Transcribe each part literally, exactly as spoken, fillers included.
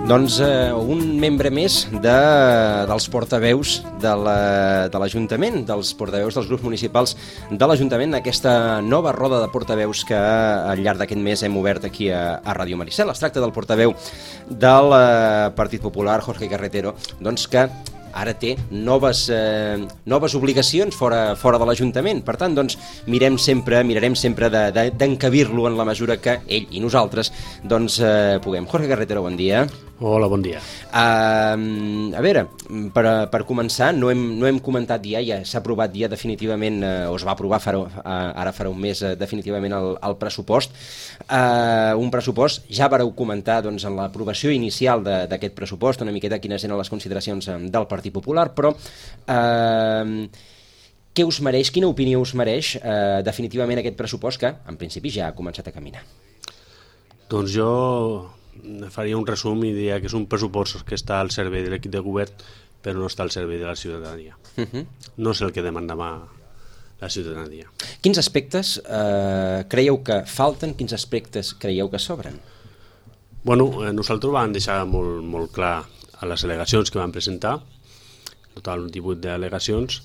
Doncs eh, un membre més de, dels portaveus de l'Ajuntament, la, dels portaveus dels grups municipals de l'Ajuntament, aquesta nova roda de portaveus que al llarg d'aquest mes hem obert aquí a, a Ràdio Maricel. Es tracta del portaveu del eh, Partit Popular, Jorge Carretero, doncs que ara té noves, eh, noves obligacions fora, fora de l'Ajuntament. Per tant, doncs, mirem sempre, mirarem sempre d'encabir-lo de, de, en la mesura que ell i nosaltres doncs, eh, puguem. Jorge Carretero, bon dia. Hola, bon dia. Uh, a veure, per, per començar, no hem, no hem comentat ja, ja s'ha aprovat ja definitivament, uh, o es va aprovar farà, uh, ara farà un mes uh, definitivament el, el pressupost. Uh, un pressupost, ja vareu comentar doncs, en l'aprovació inicial d'aquest pressupost, una miqueta quines eren les consideracions um, del Partit Popular, però uh, què us mereix, quina opinió us mereix uh, definitivament aquest pressupost que, en principi, ja ha començat a caminar? Doncs jo faria un resum i diria que és un pressupost que està al servei de l'equip de govern, però no està al servei de la ciutadania. Uh-huh. No és el que demandava la ciutadania. Quins aspectes eh, creieu que falten, quins aspectes creieu que sobren? Bueno, eh, nosaltres vam deixar molt, molt clar a les al·legacions que vam presentar, total divuit d'al·legacions,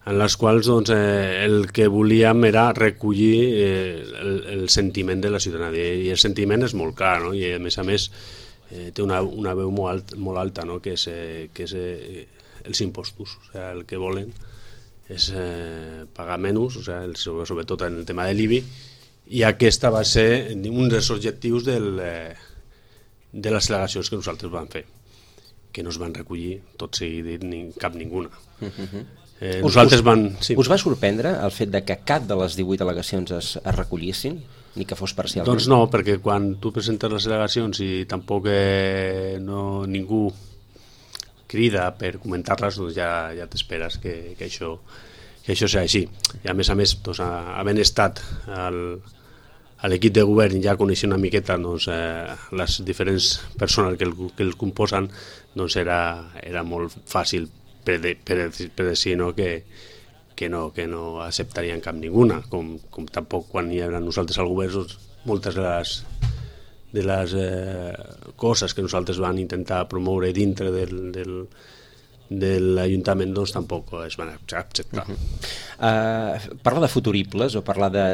en les quals doncs, eh, el que volíem era recollir eh, el, el sentiment de la ciutadania, i el sentiment és molt clar, no? I a més a més eh, té una, una veu molt, alt, molt alta, no? Que és, eh, que és eh, els impostos. O sigui, el que volen és eh, pagar menys, o sigui, el, sobretot en el tema de l'I B I, i aquesta va ser un dels objectius del, eh, de les al·legacions que nosaltres vam fer, que no es van recollir tot seguit ni cap ninguna. Uh-huh. Eh, us, nosaltres us, van, sí. us va sorprendre el fet de que cap de les divuit al·legacions es, es recollissin, ni que fos parcialment? Doncs no, perquè quan tu presentes les al·legacions i tampoc eh, no, ningú crida per comentar-les, doncs ja, ja t'esperes que, que, això, que això sigui així. I a més a més, doncs, havent estat al, a l'equip de govern ja coneixent una miqueta doncs, eh, les diferents persones que el, que el composen, doncs era, era molt fàcil per, de, per, per dir no, que, que no que no acceptarien cap ninguna, com, com tampoc quan hi era nosaltres al govern, doncs, moltes de les, de les eh, coses que nosaltres vam intentar promoure dintre del, del, de l'Ajuntament doncs tampoc es van acceptar. Uh-huh. uh, parlar de futuribles o parlar de,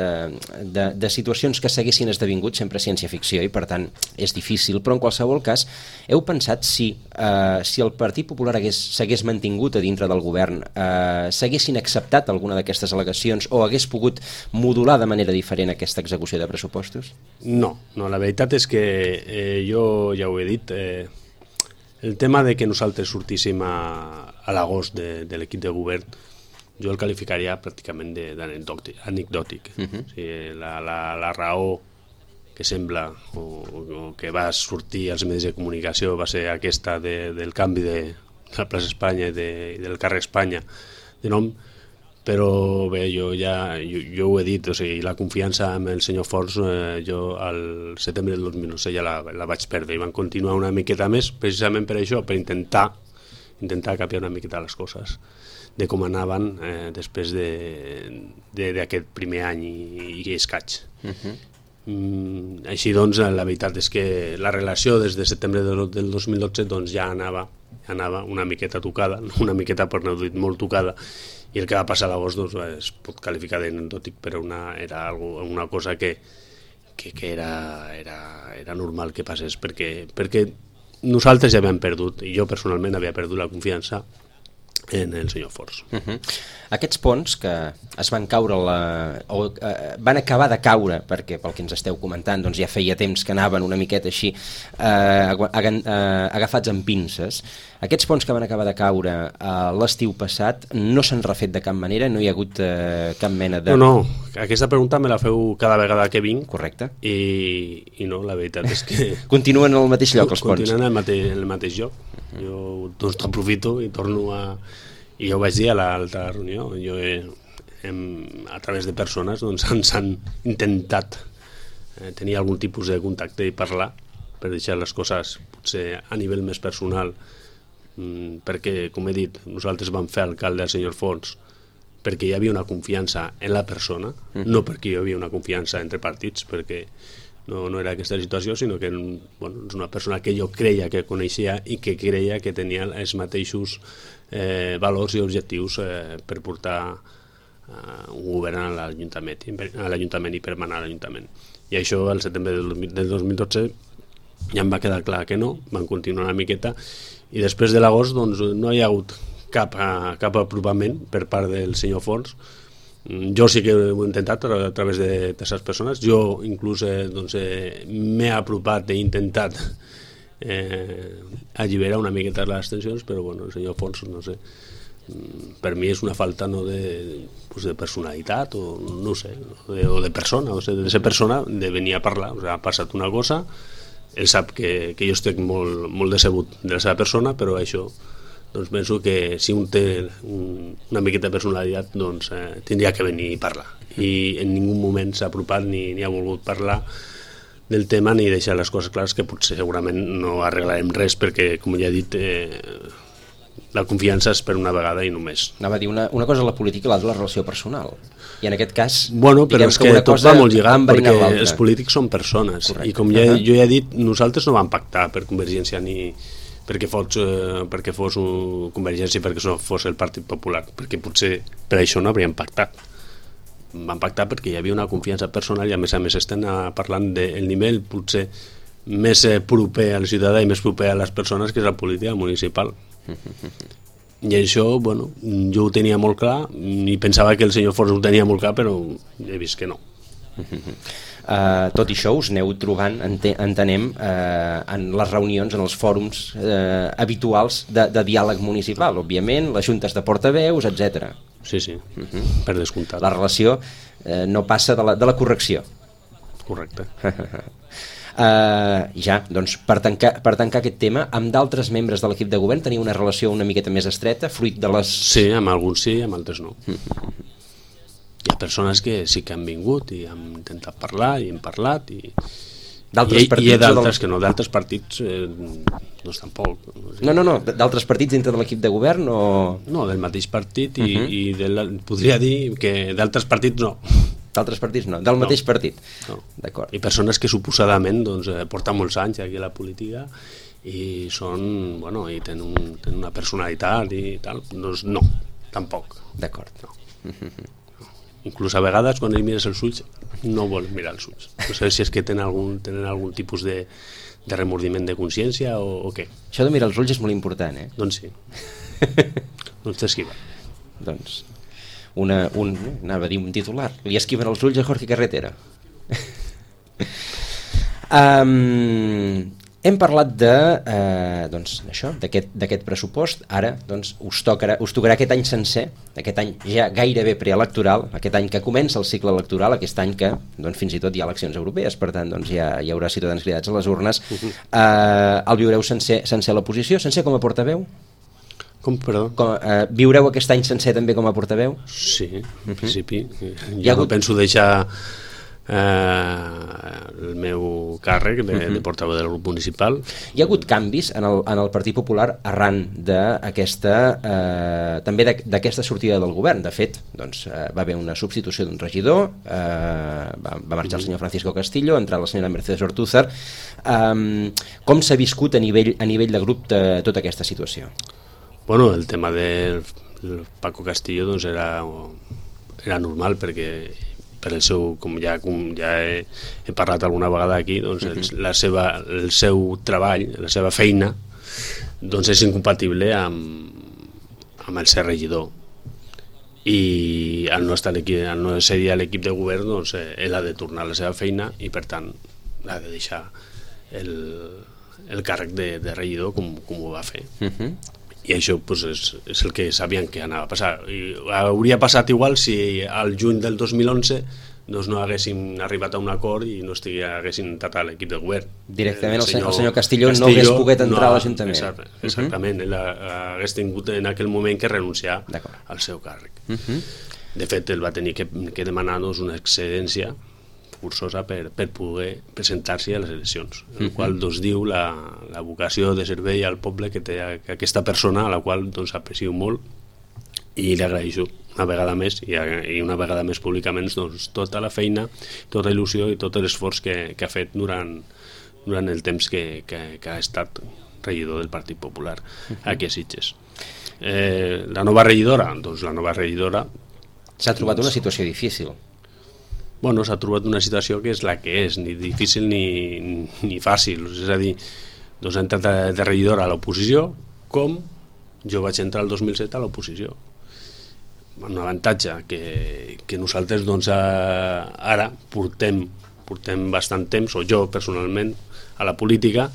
de, de situacions que s'haguessin esdevingut sempre ciència-ficció i per tant és difícil, però en qualsevol cas heu pensat si, uh, si el Partit Popular s'hagués mantingut a dintre del govern, uh, s'haguessin acceptat alguna d'aquestes al·legacions o hagués pogut modular de manera diferent aquesta execució de pressupostos? No, no, la veritat és que eh, jo ja ho he dit, eh, el tema de que nosaltres sortíssim a, a l'agost de, de l'equip de govern, jo el qualificaria pràcticament d'anecdòtic. Uh-huh. O sigui, la, la, la raó que sembla o, o que va sortir als mitjans de comunicació va ser aquesta de, del canvi de, de la plaça Espanya i de, del carrer Espanya de nom, però bé, jo ja jo, jo ho he dit, o sigui, la confiança amb el senyor Forns eh, jo al setembre del dos mil onze ja la, la vaig perdre i van continuar una miqueta més precisament per això, per intentar intentar canviar una miqueta les coses de com anaven eh, després d'aquest de, primer any i, i escaig. Uh-huh. mm, així doncs la veritat és que la relació des de setembre del, del dos mil dotze doncs, ja anava, anava una miqueta tocada, una miqueta per no dir molt tocada, i el que va passar a l'agost doncs, es pot qualificar d'anecdòtic, però una, era algo, una cosa que, que, que era, era, era normal que passés, perquè, perquè nosaltres ja havíem perdut, i jo personalment havia perdut la confiança en el senyor Forns. Uh-huh. Aquests ponts que es van caure la, o eh, van acabar de caure, perquè pel que ens esteu comentant doncs ja feia temps que anaven una miqueta així eh, agafats amb pinces, aquests ponts que van acabar de caure eh, l'estiu passat no s'han refet de cap manera, no hi ha hagut eh, cap mena de... No, no, aquesta pregunta me la feu cada vegada que vinc. Correcte. I, i no, la veritat és que... Continuen al mateix lloc els ponts. Continuen al mateix, al mateix lloc. Uh-huh. Jo doncs aprofito i torno a... I jo ho vaig dir a l'altra reunió, jo he, hem, a través de persones doncs, ens han intentat eh, tenir algun tipus de contacte i parlar per deixar les coses potser a nivell més personal, mm, perquè, com he dit, nosaltres vam fer alcalde al senyor Forns perquè hi havia una confiança en la persona, mm. no perquè hi havia una confiança entre partits, perquè no, no era aquesta situació, sinó que bueno, és una persona que jo creia que coneixia i que creia que tenia els mateixos eh, valors i objectius eh, per portar eh, un govern a l'Ajuntament, a l'Ajuntament i per manar a l'Ajuntament. I això, al setembre del dos mil dotze, ja em va quedar clar que no, van continuar una miqueta, i després de l'agost doncs, no hi ha hagut cap, cap apropament per part del senyor Forns. Jo sí que ho he intentat a, a través de terceres persones. Jo inclús eh, doncs, eh, m'he apropat, he intentat eh, alliberar una miqueta les tensions, però bueno, el senyor Fons, no sé, per mi és una falta no, de, pues, de personalitat o no sé, o de, o de persona, o sigui, de ser persona, de venir a parlar. O sigui, ha passat una cosa, ell sap que, que jo estic molt, molt decebut de la seva persona, però això doncs penso que si un té un, una miqueta de personalitat doncs eh, tindria que venir i parlar, i en ningú moment s'ha apropat ni, ni ha volgut parlar del tema ni deixar les coses clares, que potser segurament no arreglarem res perquè, com ja he dit, eh, la confiança és per una vegada i només. Anava a dir, una, una cosa és la política i l'altra la relació personal, i en aquest cas bueno, però és que, que tot va molt lligat perquè els polítics són persones. Correcte. I com ja, jo ja he dit, nosaltres no vam pactar per Convergència ni perquè fos, eh, perquè fos un Convergència, perquè no fos el Partit Popular, perquè potser per això no hauríem pactat. Vam pactar perquè hi havia una confiança personal i a més a més estem parlant del nivell potser més proper al ciutadà i més proper a les persones, que és la política municipal. I això, bueno, jo ho tenia molt clar i pensava que el senyor Forns ho tenia molt clar, però he vist que no. Uh, tot i això us aneu trobant, entenem, uh, en les reunions, en els fòrums uh, habituals de, de diàleg municipal, òbviament, les juntes de portaveus, etcètera. Sí, sí, uh-huh. Per descomptat. La relació uh, no passa de la, de la correcció. Correcte. uh, ja, doncs, per tancar, per tancar aquest tema, amb d'altres membres de l'equip de govern teniu una relació una miqueta més estreta, fruit de les... Sí, amb alguns sí, amb altres no. Uh-huh. Hi ha persones que sí que han vingut i han intentat parlar i hem parlat i, d'altres i, partits, i hi ha d'altres del... que no, d'altres partits eh, doncs tampoc. No, no, no, d'altres partits dintre de l'equip de govern o... No, del mateix partit i, uh-huh. i del, podria dir que d'altres partits no. D'altres partits no, del no. mateix partit. No. D'acord. I persones que suposadament doncs, porten molts anys aquí a la política i són, bueno, i tenen, un, tenen una personalitat i tal, doncs no, tampoc. D'acord. No. Uh-huh. Inclús a vegades quan ells mires els ulls no volen mirar els ulls, no sé si és que tenen algun, tenen algun tipus de, de remordiment de consciència o, o què. Això de mirar els ulls és molt important, eh? Doncs sí. Doncs t'esquiva. Doncs una, un, anava a dir un titular, li esquiven els ulls a Jorge Carretera. um, hem parlat de eh, doncs, això, d'aquest, d'aquest pressupost. Ara doncs, us, tocarà, us tocarà aquest any sencer, aquest any ja gairebé preelectoral, aquest any que comença el cicle electoral, aquest any que doncs, fins i tot hi ha eleccions europees, per tant doncs, ja hi haurà ciutadans cridats a les urnes. Uh-huh. eh, el viureu sencer, sencer a l'oposició, sencer com a portaveu? Com, perdó? Com, eh, viureu aquest any sencer també com a portaveu? Sí, en uh-huh. principi. Jo ha hagut... no penso deixar eh, el meu càrrec de, uh-huh. de portaveu del grup municipal. Hi ha hagut canvis en el, en el Partit Popular arran d'aquesta eh, també d'aquesta sortida del govern. De fet, doncs, eh, va haver una substitució d'un regidor, eh, va, va marxar uh-huh. el senyor Francisco Castillo, ha entrat la senyora Mercedes Ortúzar. Eh, com s'ha viscut a nivell, a nivell de grup de tota aquesta situació? Bueno, el tema del Paco Castillo doncs era, era normal perquè per el seu, com ja, com ja he, he parlat alguna vegada aquí, doncs el, la seva, el seu treball, la seva feina, doncs és incompatible amb, amb el ser regidor. I al no, estar al no ser a l'equip de govern, doncs ell ha de tornar a la seva feina i per tant ha de deixar el, el càrrec de, de regidor com, com ho va fer. Uh-huh. I això pues, és, és el que sabien que anava a passar. I hauria passat igual si al juny del dos mil onze doncs no haguéssim arribat a un acord i no estigués, haguessin entrat a l'equip de govern. Directament el senyor, el senyor Castillo, Castillo no hagués pogut entrar no, a l'Ajuntament. Exacte, exactament, uh-huh. ell hagués tingut en aquell moment que renunciar al seu càrrec. Uh-huh. De fet, ell va tenir que, que demanar doncs, una excedència forçosa per, per poder presentar-se a les eleccions, en el uh-huh. qual doncs, diu la, la vocació de servei al poble que té aquesta persona, a la qual doncs, aprecio molt i li agraeixo una vegada més i, i una vegada més públicament doncs, tota la feina, tota la il·lusió i tot l'esforç que, que ha fet durant, durant el temps que, que, que ha estat regidor del Partit Popular aquí a Sitges. Eh, la nova regidora, doncs la nova regidora s'ha trobat una situació difícil. Bueno, s'ha trobat una situació que és la que és, ni difícil ni, ni fàcil, és a dir, doncs ha entrat de regidora a l'oposició com jo vaig entrar el dos mil set a l'oposició. Un avantatge que, que nosaltres doncs, ara portem, portem bastant temps, o jo personalment, a la política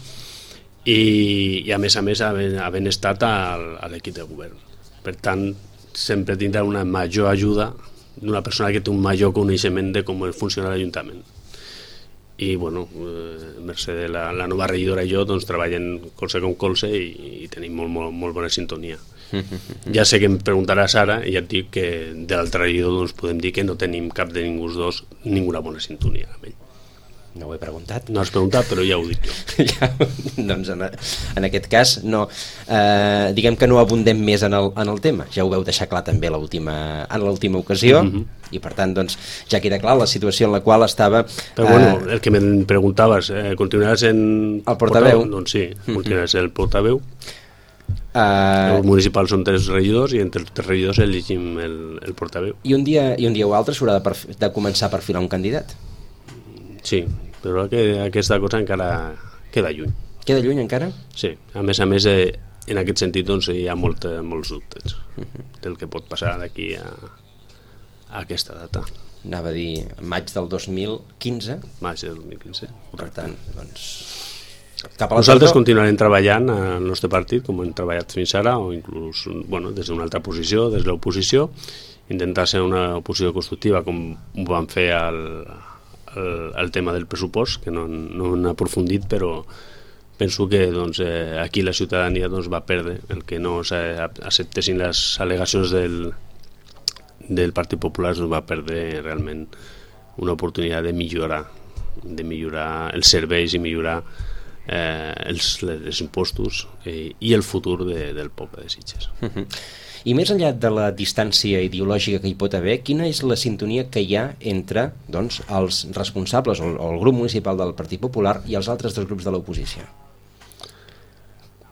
i, i a més a més havent, havent estat al, a l'equip de govern. Per tant, sempre tindrà una major ajuda d'una persona que té un major coneixement de com funciona l'Ajuntament. I, bueno, eh, mercè de la, la nova regidora i jo doncs, treballem colze com colze i, i tenim molt, molt, molt bona sintonia. Ja sé que em preguntaràs ara i ja et dic que de l'altre regidor doncs, podem dir que no tenim cap de ningú dos ninguna bona sintonia amb ell. No ho he preguntat. No has preguntat, però ja ho dic jo. Ja, doncs en, en aquest cas no, eh, diguem que no abundem més en el, en el tema. Ja ho veu deixar clar també l'última, en l'última ocasió, mm-hmm. i per tant doncs, ja queda clar la situació en la qual estava... Però eh, bueno, el que em preguntaves, eh, continuaràs en... El portaveu? Doncs sí, continuaràs el portaveu. Uh, el municipal són tres regidors i entre els tres regidors elegim el, el portaveu. I un dia, i un dia o altre s'haurà de, de començar a perfilar un candidat? Sí, però que aquesta cosa encara queda lluny. Queda lluny encara? Sí, a més a més eh, en aquest sentit doncs, hi ha molt, molts dubtes uh-huh. del que pot passar d'aquí a, a aquesta data. Anava a dir maig del dos mil quinze. Maig del dos mil quinze. Per tant, doncs... Nosaltres no? continuarem treballant al nostre partit com hem treballat fins ara o inclús bueno, des d'una altra posició, des de l'oposició, intentar ser una oposició constructiva com ho vam fer al, al, al tema del pressupost, que no, no han aprofundit, però penso que doncs, eh, aquí la ciutadania doncs, va perdre el que no acceptessin les al·legacions del, del Partit Popular, doncs, va perdre realment una oportunitat de millorar, de millorar els serveis i millorar Eh, els, els impostos eh, i el futur de, del poble de Sitges. Uh-huh. I més enllà de la distància ideològica que hi pot haver, quina és la sintonia que hi ha entre doncs, els responsables o el, o el grup municipal del Partit Popular i els altres dos grups de l'oposició?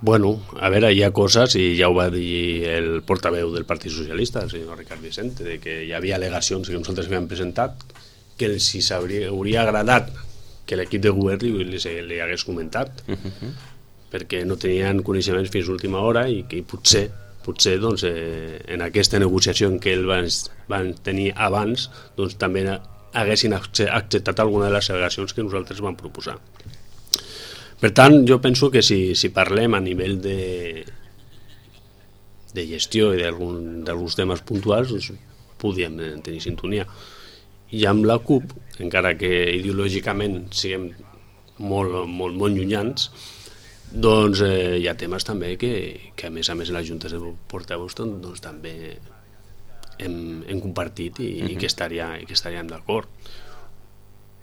Bueno, a veure, hi ha coses, i ja ho va dir el portaveu del Partit Socialista, el senyor Ricard Vicente, de que hi havia al·legacions que nosaltres havíem presentat que els si hauria agradat que l'equip de govern li, li, li hagués comentat, uh-huh. perquè no tenien coneixements fins a l'última hora i que potser, potser doncs, eh, en aquesta negociació en què ells van, van tenir abans doncs, també haguessin acceptat alguna de les al·legacions que nosaltres vam proposar. Per tant, jo penso que si, si parlem a nivell de, de gestió i d'alguns temes puntuals, doncs, podríem tenir sintonia. I amb la C U P, encara que ideològicament siguem molt, molt, molt llunyans, doncs eh, hi ha temes també que, que a més a més en les juntes de portaveus doncs, doncs també hem, hem compartit i, uh-huh. i que estaria, i que estaríem d'acord.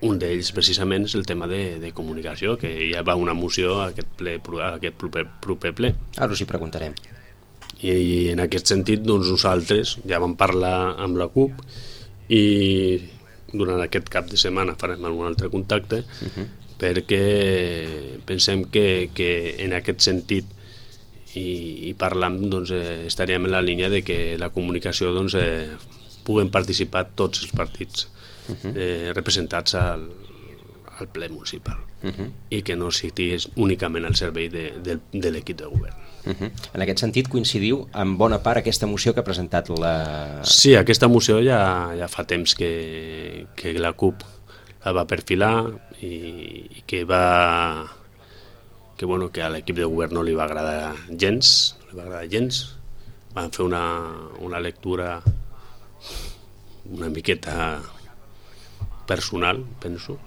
Un d'ells precisament és el tema de, de comunicació, que ja va una moció a aquest, ple, a aquest proper, proper ple. Ara us hi preguntarem. I, i en aquest sentit doncs, nosaltres ja vam parlar amb la C U P i durant aquest cap de setmana farem algun altre contacte uh-huh. perquè pensem que, que en aquest sentit i, i parlant doncs, eh, estaríem en la línia de que la comunicació doncs, eh, puguen participar tots els partits uh-huh. eh, representats al, al ple municipal uh-huh. i que no siguis únicament al servei de, de, de l'equip de govern. Uh-huh. En aquest sentit coincidiu en bona part aquesta moció que ha presentat la... Sí, aquesta moció ja, ja fa temps que, que la C U P la va perfilar i, i que va que, bueno, que a l'equip de govern no li va agradar gens, no li va agradar gens. Van fer una, una lectura una miqueta personal, penso,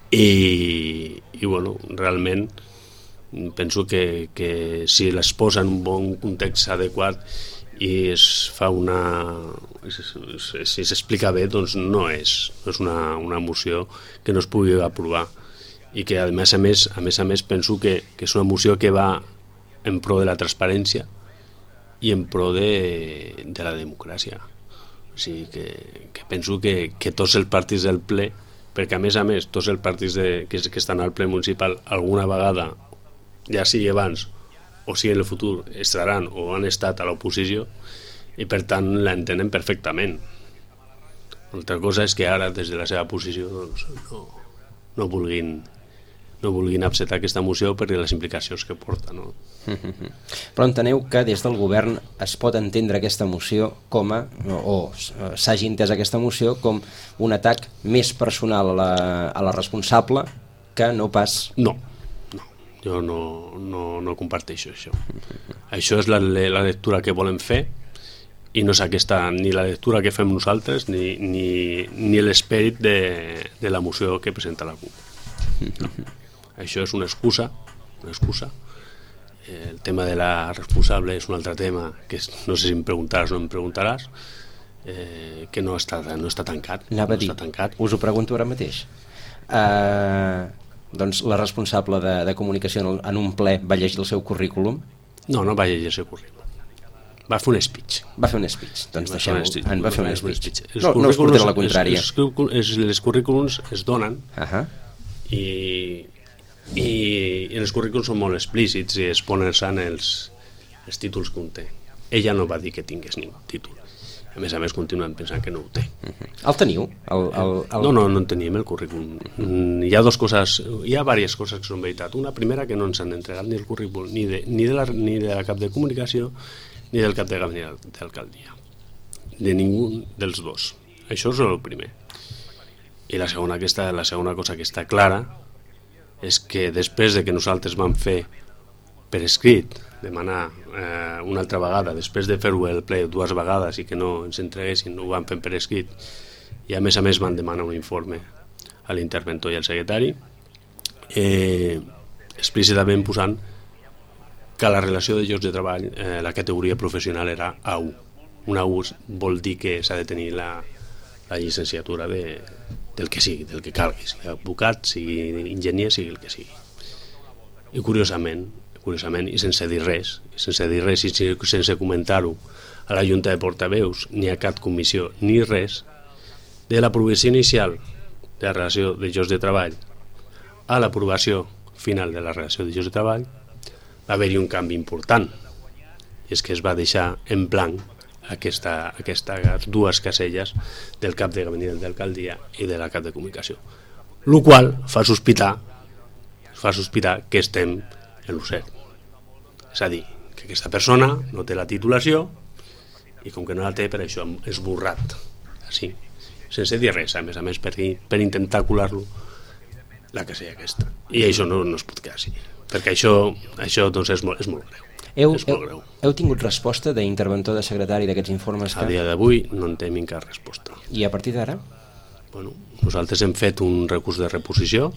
i, i bueno, realment penso que, que si les posa en un bon context adequat i es fa una... si s'explica bé, doncs no és, no és una, una moció que no es pugui aprovar i que a més a més, a més, a més penso que, que és una moció que va en pro de la transparència i en pro de, de la democràcia. O sigui que, que penso que, que tots els partits del ple, perquè a més a més tots els partits de, que, que estan al ple municipal alguna vegada, ja sigui abans o sigui en el futur, estaran o han estat a l'oposició i per tant l'entenen perfectament. Altra cosa és que ara des de la seva posició doncs, no, no vulguin no vulguin acceptar aquesta moció per les implicacions que porta, no? Però enteneu que des del govern es pot entendre aquesta moció com a, o s'hagi entès aquesta moció com un atac més personal a la, a la responsable que no pas... No, no, jo no, no, no comparteixo això. Això és la, la lectura que volem fer i no és aquesta ni la lectura que fem nosaltres ni, ni, ni l'esperit de, de la moció que presenta la CUP. No. Això és una excusa, una excusa. El tema de la responsable és un altre tema que no sé si em preguntaràs o no em preguntaràs, eh, que no està, no està tancat. Anava no a dir, està tancat. Us ho pregunto ara mateix. Uh, doncs la responsable de, de comunicació en, el, en un ple va llegir el seu currículum? No, no va llegir el seu currículum. Va fer un speech. Va fer un speech. Doncs deixeu-ho. En va fer un speech. No, no us portaré la contrària. Els, els, els currículums es donen uh -huh. i... i els currículums són molt explícits i es ponen els, els títols que un té. Ella no va dir que tingués ningú títol. A més a més continuen pensant que no ho té. Uh-huh. El teniu? El, el, el... No, no, no en teníem el currículum. Uh-huh. Hi ha dues coses, hi ha diverses coses que són veritat. Una primera, que no ens han entregat ni el currículum ni de, ni de, la, ni de la cap de comunicació ni del cap de gabinet d'alcaldia. De ningú dels dos. Això és el primer. I la segona, que està, la segona cosa que està clara és que després de que nosaltres vam fer per escrit, demanar eh, una altra vegada, després de fer-ho el ple dues vegades i que no ens entreguessin, ho vam fer per escrit, i a més a més van demanar un informe a l'interventor i al secretari, eh, explícitament posant que la relació de llocs de treball, eh, la categoria professional era A u. Una A u vol dir que s'ha de tenir la, la llicenciatura de... del que sigui, del que calgui, sigui advocat, sigui enginyer, sigui el que sigui. I curiosament, curiosament i sense dir res, sense dir res i sense comentar-ho a la Junta de Portaveus, ni a cap comissió, ni res, de l'aprovació inicial de la relació de llocs de treball a l'aprovació final de la relació de llocs de treball, va haver-hi un canvi important, i és que es va deixar en blanc Aquesta, aquestes dues caselles del cap de gabinet d'alcaldia i de la cap de comunicació, el qual fa sospitar fa sospitar que estem en l'U C E R. És a dir, que aquesta persona no té la titulació i com que no la té, per això és esborrat així, sense dir res, a més a més per, per intentar colar-lo la casella aquesta, i això no, no es pot quedar així, perquè això, això doncs és, molt, és molt greu. Heu, heu, heu tingut resposta d'interventor de secretari d'aquests informes? Que... A dia d'avui no en tenim cap resposta. I a partir d'ara? Bueno, nosaltres hem fet un recurs de reposició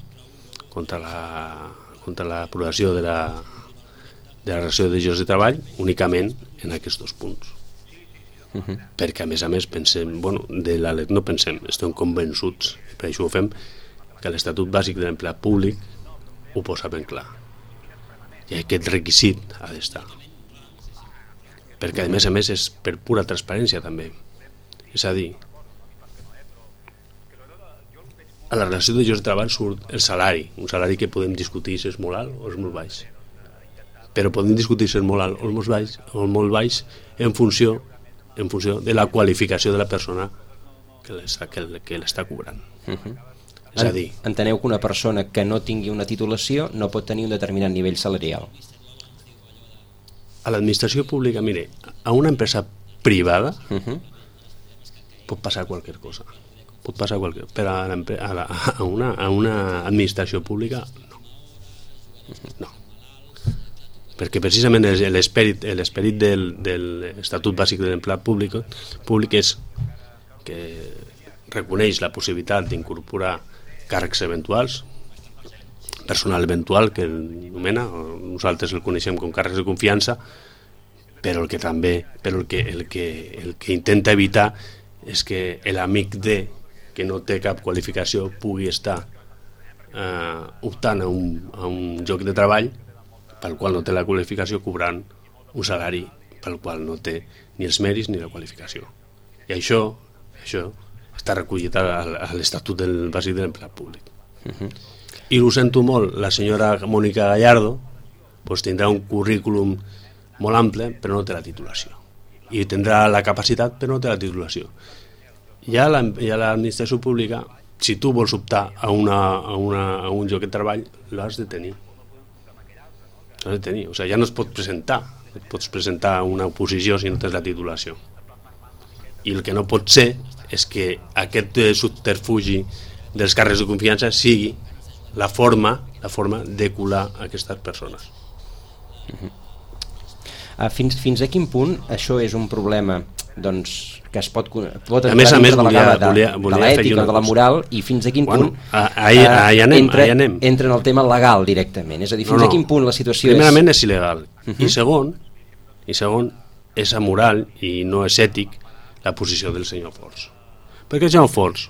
contra la contra l'aprovació de la de la relació de llocs de treball únicament en aquests dos punts. Uh-huh. Perquè a més a més pensem, bueno, de la no pensem, estem convençuts, per això ho fem, que l'Estatut Bàsic de l'Empleat Públic ho posa ben clar. I aquest requisit ha d'estar, perquè a més a més és per pura transparència també, és a dir, a la relació de llocs de treball surt el salari, un salari que podem discutir si és molt alt o és molt baix, però podem discutir si és molt alt o molt baix, o molt baix en funció en funció de la qualificació de la persona que l'està, que, que l'està cobrant. Uh-huh. És a dir, enteneu que una persona que no tingui una titulació no pot tenir un determinat nivell salarial? A l'administració pública, mire, a una empresa privada uh-huh. pot passar qualsevol cosa. Pot passar qualsevol cosa. Però a, a, la, a, una, a una administració pública, no. No. Perquè precisament l'esperit l'esperit del, de l'Estatut Bàsic de l'Empleat Públic, públic és que reconeix la possibilitat d'incorporar càrrecs eventuals, personal eventual, que anomena, nosaltres el coneixem com càrrecs de confiança, però el que també, però el que, el que, el que intenta evitar és que l'amic de, que no té cap qualificació, pugui estar eh, optant a un, a un lloc de treball pel qual no té la qualificació, cobrant un salari pel qual no té ni els mèrits ni la qualificació. I això, això està recollit a, a l'Estatut del Bàsic de l'Empleat Públic. Uh-huh. I ho sento molt, la senyora Mònica Gallardo pues, tindrà un currículum molt ample, però no té la titulació. I tindrà la capacitat, però no té la titulació. Ja l'administració pública, si tu vols optar a, una, a, una, a un lloc de treball, l'has de tenir. L'has de tenir. O sigui, ja no es pot presentar. Et pots presentar una oposició si no tens la titulació. I el que no pot ser és que aquest subterfugi dels càrrecs de confiança sigui la forma, la forma de colar aquestes persones. Uh-huh. uh, fins, fins a quin punt això és un problema doncs, que es pot, pot a més a més de volia, la, de, volia, volia de l'ètica, de la moral, i fins a quin bueno, punt ahí, ahí anem, entra, ahí anem. entra en el tema legal directament, és a dir, fins no, no. a quin punt la situació primerament és... és il·legal, uh-huh. i segon i segon és amoral i no és ètic la posició del senyor Forns, perquè el senyor Forns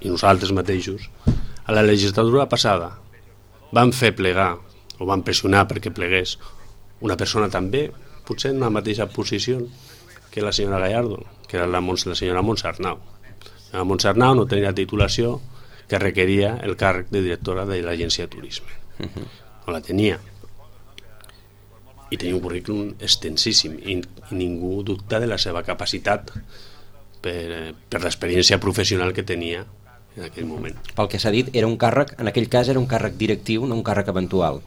i nosaltres mateixos a la legislatura passada van fer plegar o van pressionar perquè plegués una persona també potser en la mateixa posició que la senyora Gallardo, que era la, la senyora Montse Arnau. La Montse Arnau no tenia titulació que requeria el càrrec de directora de l'agència de turisme. Uh-huh. No la tenia. I tenia un currículum extensíssim i, i ningú dubta de la seva capacitat per, per l'experiència professional que tenia en aquell moment. Pel que s'ha dit, era un càrrec, en aquell cas era un càrrec directiu, no un càrrec eventual.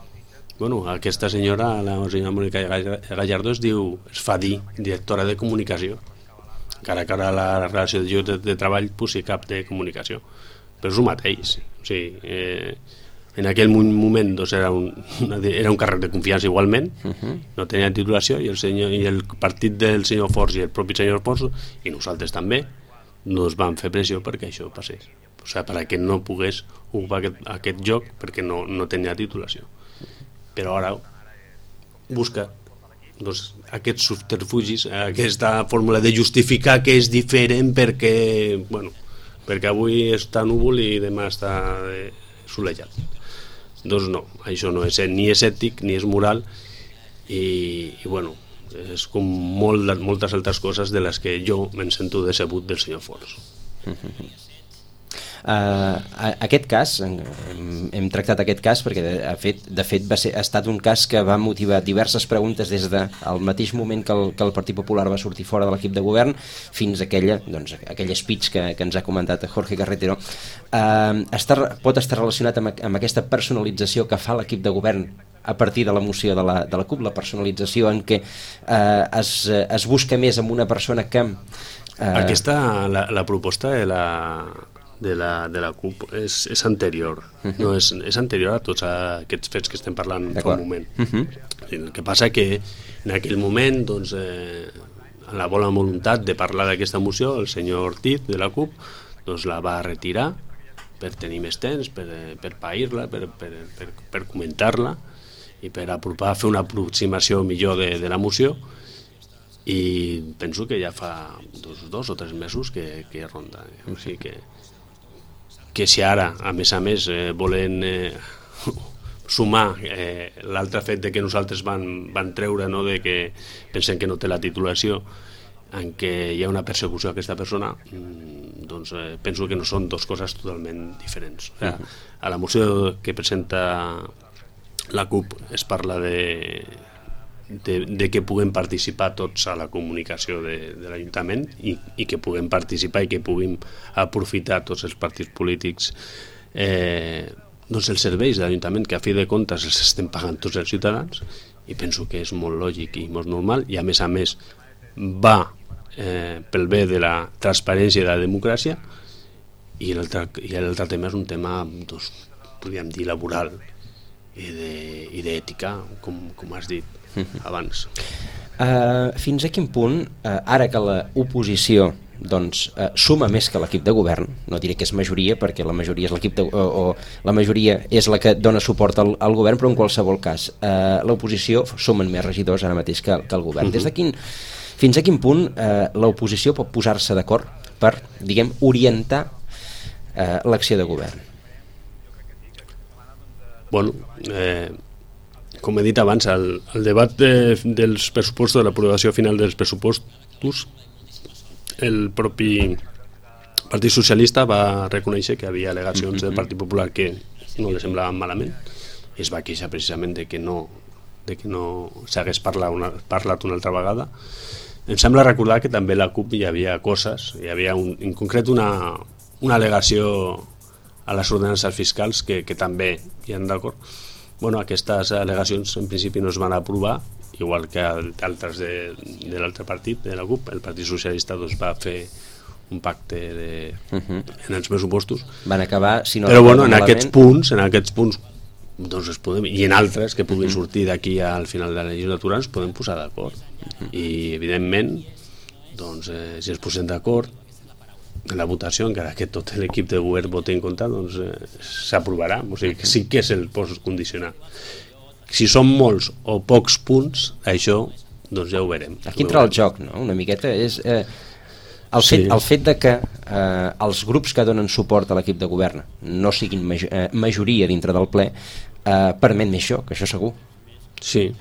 Bueno, aquesta senyora, la senyora Mònica Gallardo, es diu, es fa dir directora de comunicació, encara que ara la relació de lloc de, de treball posi cap de comunicació, però és el mateix. O sigui, eh, en aquell moment doncs, era, un, era un càrrec de confiança igualment, uh-huh. no tenia titulació, i el, senyor, i el partit del senyor Forns i el propi senyor Forns, i nosaltres també, nos van fer pressió perquè això passés. O sigui, perquè no pogués ocupar aquest, aquest lloc perquè no, no tenia titulació. Però ara busca doncs, aquests subterfugis, aquesta fórmula de justificar que és diferent perquè, bueno, perquè avui està núvol i demà està solejat. Doncs no, això no és, ni és ètic ni és moral i, i bueno, és com molt, moltes altres coses de les que jo me'n sento decebut del senyor Forns. Uh, aquest cas, hem, hem tractat aquest cas perquè de, de fet, de fet va ser, ha estat un cas que va motivar diverses preguntes des del de, mateix moment que el, que el Partit Popular va sortir fora de l'equip de govern fins a aquella, doncs, aquell speech que, que ens ha comentat Jorge Carretero. Uh, està, pot estar relacionat amb, amb aquesta personalització que fa l'equip de govern a partir de la moció de la, de la C U P, la personalització en què uh, es, es busca més amb una persona que... Uh... Aquesta, la, la proposta de la... de la, de la C U P és, és anterior, uh-huh. no és, és anterior a tots aquests fets que estem parlant fa un moment. Uh-huh. El que passa que en aquell moment, doncs, eh, en la bona voluntat de parlar d'aquesta moció, el senyor Ortiz de la C U P doncs, la va retirar per tenir més temps, per, per pair-la, per, per, per, per comentar-la i per apropar, fer una aproximació millor de, de la moció, i penso que ja fa dos, dos o tres mesos que, que ronda. O sigui que que si ara, a més a més, eh, volen eh, sumar eh, l'altre fet de que nosaltres van, van treure, no, de que pensen que no té la titulació, en què hi ha una persecució a aquesta persona, doncs eh, penso que no són dues coses totalment diferents. O sigui, a la moció que presenta la C U P es parla de, de, de que puguem participar tots a la comunicació de, de l'Ajuntament i, i que puguem participar i que puguem aprofitar tots els partits polítics eh, doncs els serveis de l'Ajuntament, que a fi de comptes els estem pagant tots els ciutadans, i penso que és molt lògic i molt normal, i a més a més va eh, pel bé de la transparència i de la democràcia, i l'altre tema és un tema, doncs, podríem dir, laboral i d'ètica, com, com has dit abans. Uh, fins a quin punt, uh, ara que l'oposició doncs, uh, suma més que l'equip de govern, no diré que és majoria perquè la majoria és l'equip de, o, o la majoria és la que dona suport al, al govern, però en qualsevol cas uh, l'oposició sumen més regidors ara mateix que, que el govern. Uh-huh. Des de quin, fins a quin punt uh, l'oposició pot posar-se d'acord per, diguem, orientar uh, l'acció de govern? Bueno, eh, com he dit abans, el, el debat de, dels pressupostos, de l'aprovació final dels pressupostos, el propi Partit Socialista va reconèixer que hi havia al·legacions del Partit Popular que no li semblaven malament i es va queixar precisament de que no, de que no s'hagués parlat una, parlat una altra vegada. Em sembla recordar que també a la CUP hi havia coses, hi havia un, en concret una, una al·legació a les ordenances fiscals que, que també hi han d'acord. Bueno, aquestes al·legacions en principi no es van aprovar, igual que altres de, de l'altre partit, de la CUP. El Partit Socialista doncs, va fer un pacte de, uh -huh. en els pressupostos. Van acabar, si no però bueno, en malament... aquests punts, en aquests punts doncs es podem, i en altres que puguin sortir d'aquí al final de la legislatura ens podem posar d'acord. Uh -huh. I evidentment doncs, eh, si ens posem d'acord en la votació, encara que tot l'equip de govern voti en contra, doncs eh, s'aprovarà. O sigui, que sí que és el post condicionat. Si són molts o pocs punts, això doncs ja ho veurem. Aquí entra el joc, no? Una miqueta és... Eh, el, fet, sí. el fet de que eh, els grups que donen suport a l'equip de govern no siguin major, eh, majoria dintre del ple eh, permet més això, que això segur. Sí,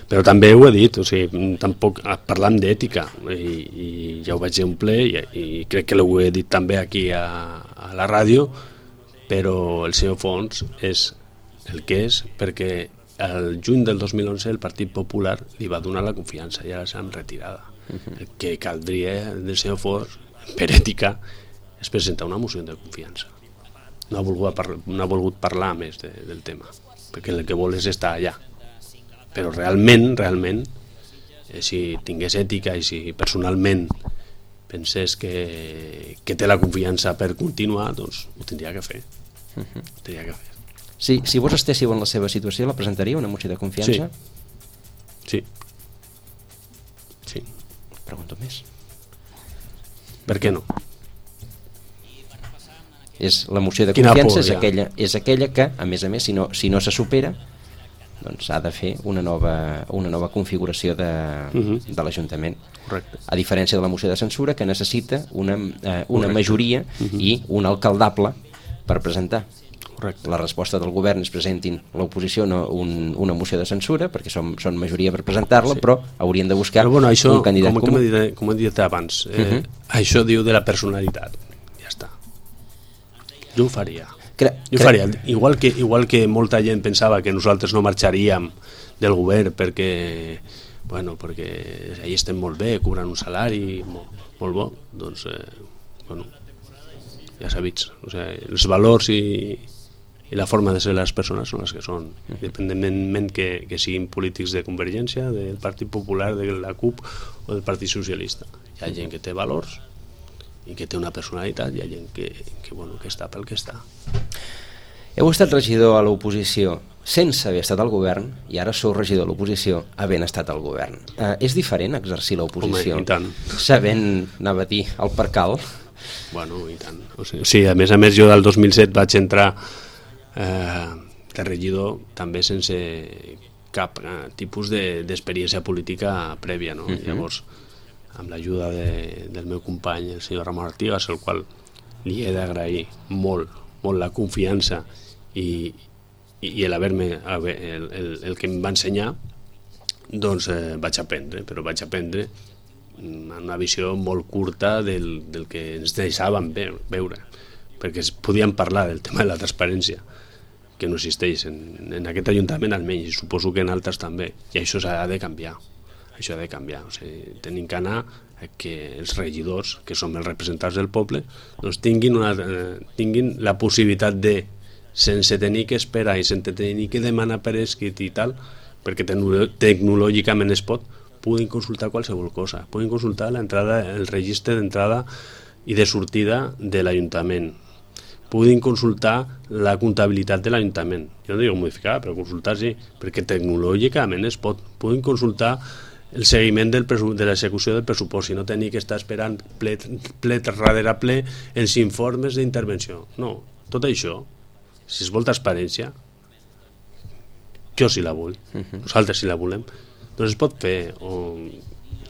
però també ho he dit, o sigui, tampoc parlant d'ètica i, i ja ho vaig dir un ple i, i crec que ho he dit també aquí a, a la ràdio, però el senyor Fons és el que és perquè el juny del dos mil onze el Partit Popular li va donar la confiança i ara s'ha retirada. Uh-huh. El que caldria del senyor Fons per ètica és presentar una moció de confiança. No ha volgut, parlar, no ha volgut parlar més de, del tema perquè el que vol és estar allà. Però realment, realment, eh, si tingués ètica i si personalment pensés que, que té la confiança per continuar, doncs ho tindria que fer. Uh -huh. Ho tindria que fer. Sí, si vos estéssiu en la seva situació, la presentaria una moció de confiança? Sí. Sí. Sí. Pregunto més. Per què no? És la moció de Quina confiança por, és, aquella, és aquella que, a més a més, si no, si no se supera, doncs ha de fer una nova, una nova configuració de, uh-huh. de l'Ajuntament. Correcte. A diferència de la moció de censura, que necessita una, eh, una majoria uh-huh. i un alcaldable per presentar. Correcte. La resposta del govern és presentin l'oposició no, un, una moció de censura perquè són, són majoria per presentar-la, sí. però haurien de buscar però, bueno, això, un candidat com, comú. Com he dit, com he dit abans, eh, uh-huh. això diu de la personalitat. Ja està. Jo ho faria. Cre jo ho faria. Igual que, igual que molta gent pensava que nosaltres no marxaríem del govern perquè, bueno, perquè allà estem molt bé, cobren un salari molt, molt bo, doncs, eh, bueno, ja sabits. O sigui, els valors i i la forma de ser les persones són les que són, independentment que, que siguin polítics de Convergència, del Partit Popular, de la CUP o del Partit Socialista. Hi ha gent que té valors i que té una personalitat, hi ha gent que, que, bueno, que està pel que està. Heu estat regidor a l'oposició sense haver estat al govern i ara sou regidor a l'oposició havent estat al govern. Eh, és diferent exercir l'oposició? Home, i tant. Sabent, anava a dir, el percal? Bueno, i tant. O sigui, sí, a més a més jo del dos mil set vaig entrar Eh, de regidor també sense cap eh, tipus d'experiència de, política prèvia, no? Uh-huh. Llavors, amb l'ajuda de, del meu company, el senyor Ramon Artigas, al qual li he d'agrair molt, molt la confiança i, i, i l'haver-me el, el, el que em va ensenyar, doncs eh, vaig aprendre, però vaig aprendre amb una visió molt curta del, del que ens deixàvem veure, perquè es podien parlar del tema de la transparència, que no existeix en, en aquest Ajuntament almenys, i suposo que en altres també, i això s'ha de canviar, això ha de canviar, o sigui, tenim que anar a que els regidors, que som els representants del poble, doncs tinguin, una, eh, tinguin la possibilitat de, sense tenir que esperar i sense tenir que demanar per escrit i tal, perquè tecnològicament es pot, puguin consultar qualsevol cosa, puguin consultar l'entrada, el registre d'entrada i de sortida de l'Ajuntament, puguin consultar la comptabilitat de l'Ajuntament. Jo no dic modificar, però consultar sí, perquè tecnològicament es pot. Puguin consultar el seguiment del de l'execució del pressupost i no tenir que estar esperant ple, ple darrere ple els informes d'intervenció. No, tot això, si es vol transparència, jo sí la vull, nosaltres sí la volem, doncs es pot fer o,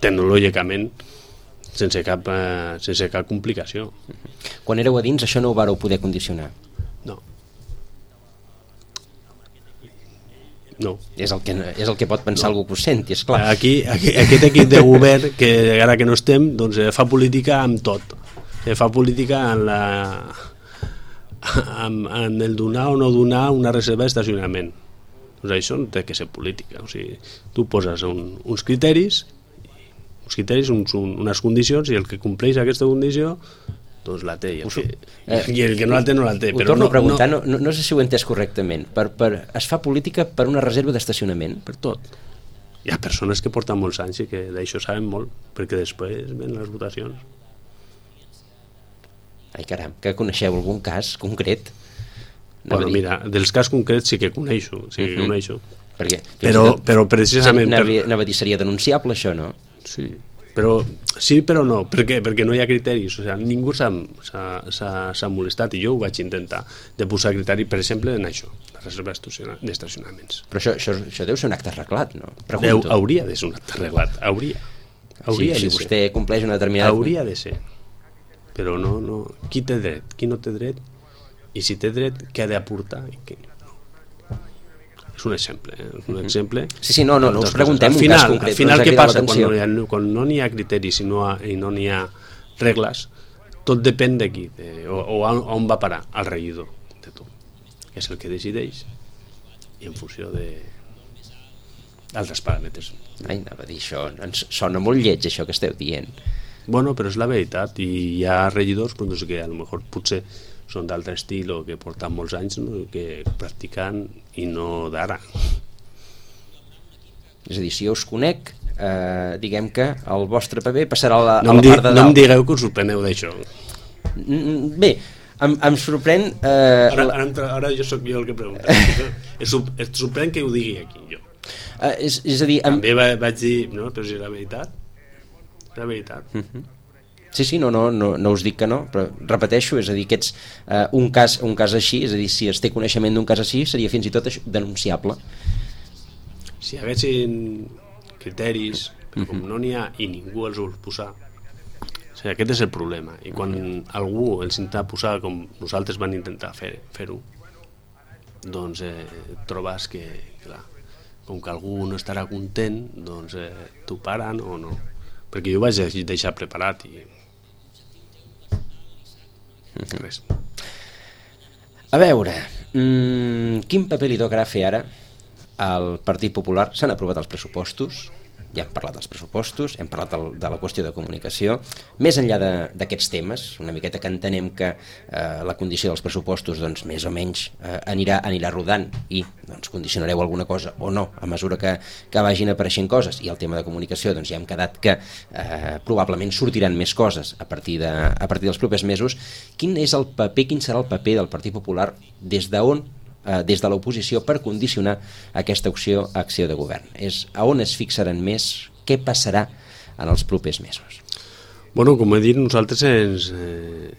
tecnològicament sense cap, eh, sense cap complicació. Quan éreu a dins això no ho vareu poder condicionar? No. No. És el que, és el que pot pensar no. algú que ho senti, esclar. Aquí, aquí, aquest equip de govern, que ara que no estem, doncs fa política amb tot. Fa política en la... amb, amb el donar o no donar una reserva d'estacionament. Doncs això no té que ser política. O sigui, tu poses un, uns criteris, uns criteris, uns, un, unes condicions, i el que compleix aquesta condició doncs la té, i el, que, eh, i el que no la té no la té. Ho però torno no, a preguntar, no, no, no sé si ho he entès correctament. Per, per, es fa política per una reserva d'estacionament? Per tot. Hi ha persones que porten molts anys i que d'això saben molt, perquè després ven les votacions. Ai, caram, que coneixeu algun cas concret? No, bueno, mira, dels cas concrets sí que coneixo, sí que uh-huh. coneixo. Perquè, però, tot, però precisament... Anava, anava a dir, seria denunciable això, no? Sí, però sí, però no. Per què? Perquè no hi ha criteris. O sigui, ningú s'ha molestat, i jo ho vaig intentar, de posar criteri, per exemple, en això, la reserva d'estacionaments. Però això, això, això deu ser un acte arreglat, no? Deu, hauria de ser un acte arreglat, hauria. hauria sí, de si ser. Vostè compleix una determinada... Hauria de ser. Però no, no. Qui té dret? Qui no té dret? I si té dret, què ha d'aportar? Què... És un exemple, eh? És un exemple. Sí, sí, no, no, no us preguntem un final, cas concret. Al final, què passa quan no, ha, quan no n'hi ha criteris i no, ha, i no n'hi ha regles? Tot depèn d'aquí, de, o, o on va parar, al regidor de tot, que és el que decideix, i en funció de altres paràmetres. Ai, anava a dir això, ens sona molt lleig això que esteu dient. Bueno, però és la veritat, i hi ha regidors doncs, que a lo mejor potser són d'altre estil o que porten molts anys, no? Que practican i no d'ara. És a dir, si jo us conec, eh, diguem que el vostre paper passarà a la, no a la di, part de dalt. No em digueu que us sorpreneu d'això. Bé, em, em sorprèn... Eh, ara, ara, ara jo sóc jo el que pregunta. Et sorprèn que ho digui aquí, jo. Eh, és, és a dir... Em... També va, vaig dir, no, però si és la veritat, la veritat. Uh-huh. Sí, sí, no, no, no, no us dic que no, però repeteixo, és a dir, que ets eh, un, cas, un cas així, és a dir, si es té coneixement d'un cas així, seria fins i tot denunciable. Si hi haguessin criteris, però com no n'hi ha i ningú els vol posar, o sigui, aquest és el problema. I quan algú els intenta posar com nosaltres van intentar fer, fer-ho, doncs eh, trobes que, clar, com que algú no estarà content, doncs eh, t'ho paren o no. Perquè jo ho vaig deixar preparat i... res. A veure, mmm, quin paper li tocarà fer ara al Partit Popular? S'han aprovat els pressupostos, ja hem parlat dels pressupostos, hem parlat del, de la qüestió de comunicació. Més enllà d'aquests temes, una miqueta que entenem que eh, la condició dels pressupostos doncs, més o menys eh, anirà, anirà rodant i doncs, condicionareu alguna cosa o no a mesura que, que vagin apareixent coses, i el tema de comunicació doncs, ja hem quedat que eh, probablement sortiran més coses a partir, de, a partir dels propers mesos. Quin és el paper, quin serà el paper del Partit Popular des d'on des de l'oposició per condicionar aquesta acció, acció de govern? És a on es fixaran més? Què passarà en els propers mesos? Bueno, com he dit, nosaltres ens... Eh,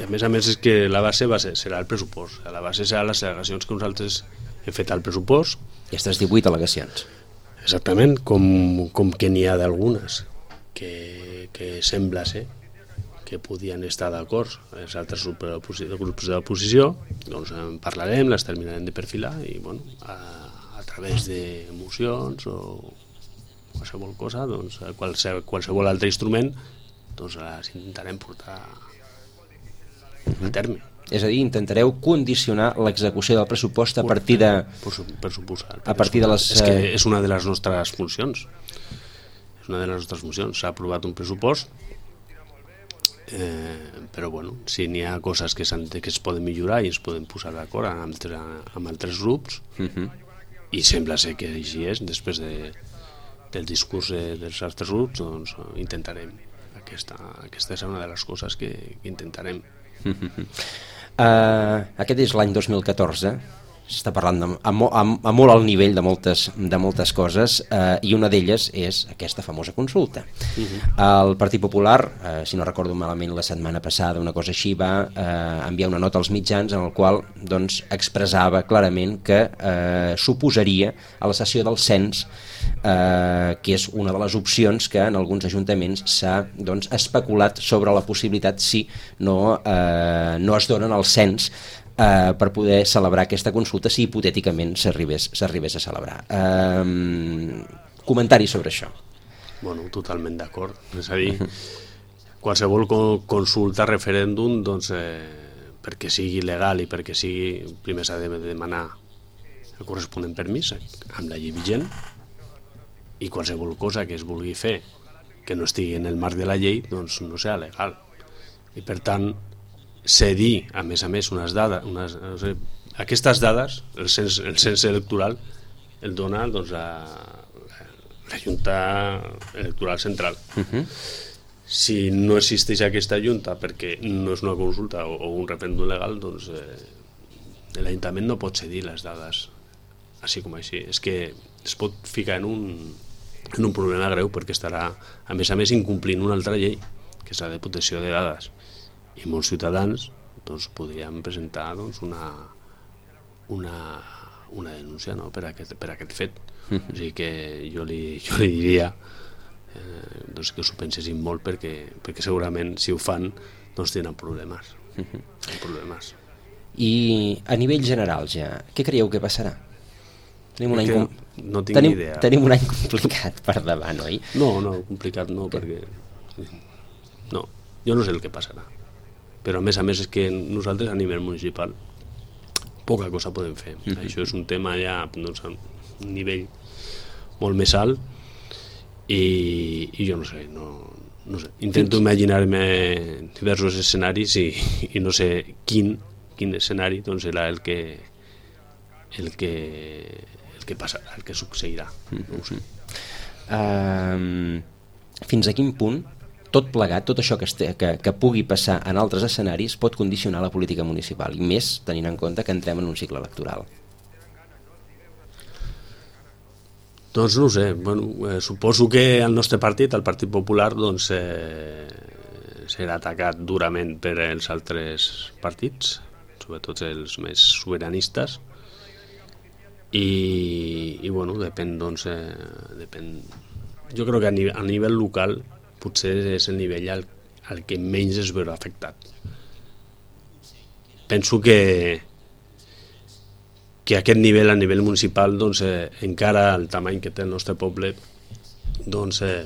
i a més a més és que la base va ser, serà el pressupost. La base serà les al·legacions que nosaltres hem fet al pressupost. Aquestes divuit al·legacions. Exactament, com, com que n'hi ha d'algunes que, que sembla ser que podien estar d'acord els altres grups de l'oposició, doncs en parlarem, les terminarem de perfilar i bueno, a, a través de mocions o qualsevol cosa, doncs qualsevol, qualsevol altre instrument, doncs les intentarem portar a terme. És a dir, intentareu condicionar l'execució del pressupost a partir de... Per, per suposar. A partir de les... És que és una de les nostres funcions. És una de les nostres funcions. S'ha aprovat un pressupost, Eh, però bueno, si n'hi ha coses que, que es poden millorar i es poden posar d'acord amb, altre, amb altres grups, uh-huh. I sembla ser que així és, després de, del discurs de, dels altres grups, doncs intentarem, aquesta, aquesta és una de les coses que, que intentarem. Uh-huh. uh, aquest és l'any dos mil catorze, s'està parlant de, a, a, a molt alt nivell de moltes, de moltes coses, eh, i una d'elles és aquesta famosa consulta. Uh-huh. El Partit Popular, eh, si no recordo malament la setmana passada, una cosa així, va eh, enviar una nota als mitjans en el qual doncs, expressava clarament que eh, s'oposaria a la cessió del cens, eh, que és una de les opcions que en alguns ajuntaments s'ha doncs, especulat sobre la possibilitat si no, eh, no es donen el cens eh, per poder celebrar aquesta consulta si hipotèticament s'arribés s'arribés a celebrar. Eh, comentari sobre això. Bueno, totalment d'acord. És a dir, qualsevol consulta, referèndum, doncs, eh, perquè sigui legal i perquè sigui, primer s'ha de demanar el corresponent permís amb la llei vigent, i qualsevol cosa que es vulgui fer que no estigui en el marc de la llei, doncs no serà legal. I per tant, cedir, a més a més, unes dades, unes, o sigui, aquestes dades, el cens, el cens electoral, el dona doncs, la, la Junta Electoral Central. Uh-huh. Si no existeix aquesta Junta perquè no és una consulta o, o un referèndum legal, doncs eh, l'Ajuntament no pot cedir les dades així com així. És que es pot ficar en un, en un problema greu perquè estarà, a més a més, incomplint una altra llei, que és la de protecció de dades. I molts ciutadans doncs, podrien presentar doncs, una, una, una denúncia, no?, per, aquest, per aquest fet. Mm-hmm. O sigui que jo li, jo li diria eh, doncs, que s'ho pensessin molt perquè, perquè segurament si ho fan doncs tindran problemes. Mm-hmm. problemes. I a nivell general ja, què creieu que passarà? Tenim un, any com... no tinc tenim, idea. tenim un any complicat per davant, oi? No, no, complicat no, perquè... No, jo no sé el que passarà. Però a més a més és que nosaltres a nivell municipal poca cosa podem fer. Mm-hmm. Això és un tema ja doncs, a un nivell molt més alt i, i jo no sé, no, no sé. Intento imaginar-me diversos escenaris i, i no sé quin, quin escenari doncs, serà el que el que el que passarà, el que succeirà. No ho sé. Uh, fins a quin punt tot plegat, tot això que, este, que, que pugui passar en altres escenaris pot condicionar la política municipal, i més tenint en compte que entrem en un cicle electoral? Doncs no ho sé, bueno, eh, suposo que el nostre partit, el Partit Popular, doncs, eh, serà atacat durament per els altres partits, sobretot els més sobiranistes, i, i bueno, depèn, doncs, eh, depèn. Jo crec que a nivell, a nivell local potser és el nivell al, al que menys es veurà afectat. Penso que que aquest nivell, a nivell municipal, doncs, eh, encara el tamany que té el nostre poble, doncs, eh,